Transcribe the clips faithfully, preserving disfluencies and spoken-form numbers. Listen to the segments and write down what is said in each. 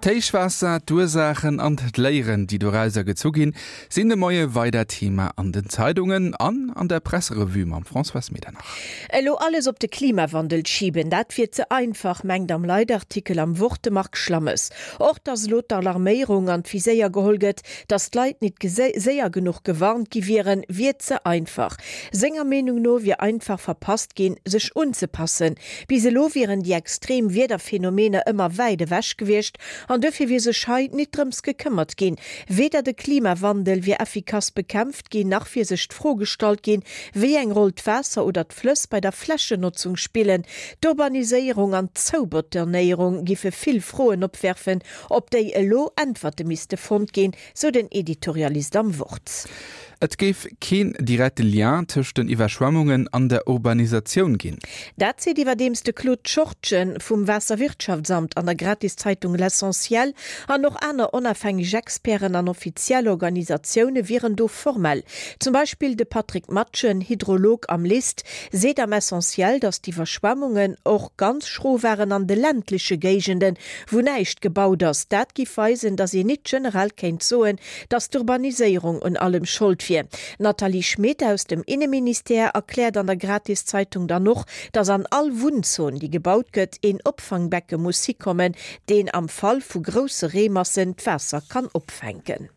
D'Héichwaasser, d'Ursaachen an d'Léieren, déi dorauser gezu ginn, sinn de Moie weider Thema an den Zeitungen an an der Presserevue mam Françoise Medernach. Elo alles op de Klimawandel schiben, dat wier ze einfach, mengt am Leitartikel am Wort de Marc Schlammes. Och datt elo d'Alarméierung an d'Viséier geholl gëtt, datt d'Leit nit séier genuch gewarnt gi wieren, wier ze einfach. Senger Meenung no wier einfach verpasst ginn, sech unzepassen. Bis elo wieren déi extrem Wiederphenomener ëmmer wäit ewech gewiescht an duerfir wier sech hei nit drëms gekëmmert ginn. Weder de Klimawandel wier effikass bekämpft ginn, nach wier sech d'Fro gestallt ginn, wéi eng Roll d'Waasser oder d'Flëss bei der Flächennotzung spillen. D'Urbaniséierung an d'Zoubetonéierung giffe vill Froen opwerfen, op déi elo Äntwerte misste fonnt ginn, sou den Editorialist am Wort. Et géif keen direkte Lien tëscht den Iwwerschwemmungen an der Urbanisatioun ginn. Dat seet iwwerdeems de Claude Schortgen vum Waasserwirtschaftsamt an der Gratiszeitung L'Essentiel. An och aner onafhängeg Experten an offiziell Organisatioune wieren do formell. Zum Beispill de Patrick Matschen, Hydrolog am LIST, seet am Essentiel, datt d'Iwwerschwemmungen och ganz schro waren an de ländleche Géigenden, wou näischt gebaut ass. Dat giff weisen, datt een nit generell kéint soen, datt d'Urbaniséierung un allem Schold wier. D'Nathalie Schmit aus dem Inneministère erkläert an der Gratiszeitung dann och, datt an all Wunnzon, déi gebaut gëtt, een Opfangbecke muss hikommen, deen am Fall vu grousse Reemassen d'Waasser kann opfänken.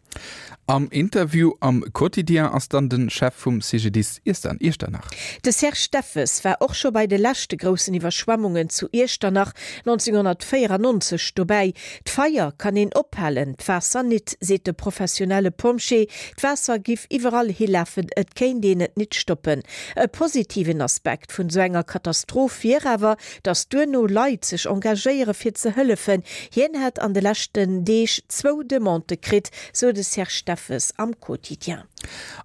Am Interview am Quotidien ass dann de Chef vum CGDIS Iechternach. De Serge Steffes war och scho bei de leschte groussen Iwwerschwemmungen zu Iechternach neunzehnhundertvéierennonzeg dobäi. D'Feier kann een ophalen, d'Waasser nit, seet de professionelle Pompjee. D'Waasser giff iwwerall hilafen, et kéint een et nit stoppen. E positiven Aspekt vun esou enger Katastroph wier awer, datt duerno Leit sech engagéiere fir ze hëllefen. Hien hätt an de leschten Deeg zwou Demandë kritt, sou de Serge Steffes am Quotidien.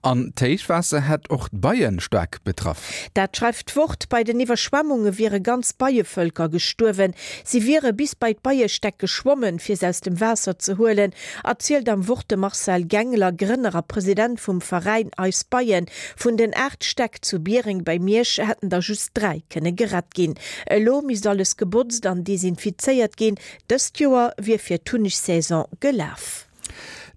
An d'Héichwaasser hätt och d'Beien staark betraff. Dat schreift d'Wort. Bei den Iwwerschwemmunge wiere ganz Beievölker gestuerwen. Si wiere bis bei d'Beiestäck geschwommen, fir se aus dem Waasser ze huelen, erzielt am Wort de Marcel Gengler, Grënner a President vum Veräin Eis Beien. Vun den aacht Stäck zu Biereng bei Miersch hätten der just dräi kënne gerett ginn. Elo misst alles gebotzt an desinfizéiert ginn. Dëst Joer wier fir d'Hunnegsaison gelaf.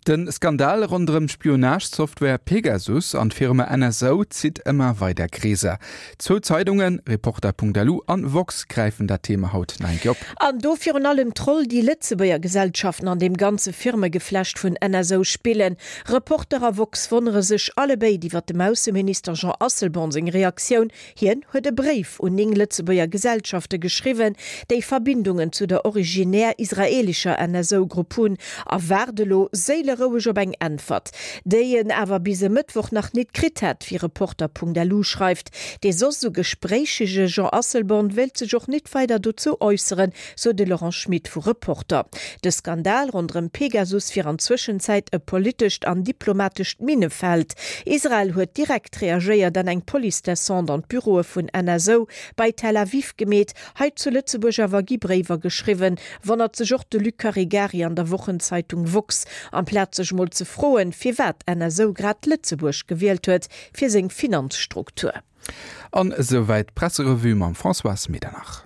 De Skandal ronderëm d'Spionage-Software Pegasus an d'Firma N S O zitt ëmmer weider Kreeser. Zwou Zeidungen, Reporter.lu an Woxx, gräifen dat Thema haut nach eng Kéier op. An do virun allem d'Roll, déi Lëtzebuerger Gesellschaften an deem ganze Firmegeflecht vun N S O spillen. Reporter a Woxx wonnere sech allebéid iwwer dem Ausseminister Jean Asselborn seng Reaktioun. Hien huet e Bréif un néng Lëtzebuerger Gesellschafte geschriwwen, déi Verbindungen zu der originär israelischer N S O-Grupp hunn, a waart elo séileroueg op eng Äntwert, déi en awer bis e Mëttwoch nach nit kritt hätt, wéi Reporter.lu schreift. Dee soss sou gespréichege Jean Asselborn wéilt sech och nit weider dozou äusseren, sou de Laurent Schmit vu Reporter. De Skandal ronderëm Pegasus wier an Zwëschenzäit e politescht an diplomatescht Minnefeld. Israel huet direkt reagéiert an eng Police-Descente an d'Büroe vun N S O bei Tel Aviv gemeet. Hei zu Lëtzebuerg awer gi Bréiwer geschriwwen, wonnert sech och de Luc Caregari an der Wochenzeitung Woxx. Amplaz sech mol ze froen, firwat N S O grad Lëtzebuerg gewielt huet fir seng Finanzstruktur. An esouwäit d'Presserevue mam Françoise Medernach.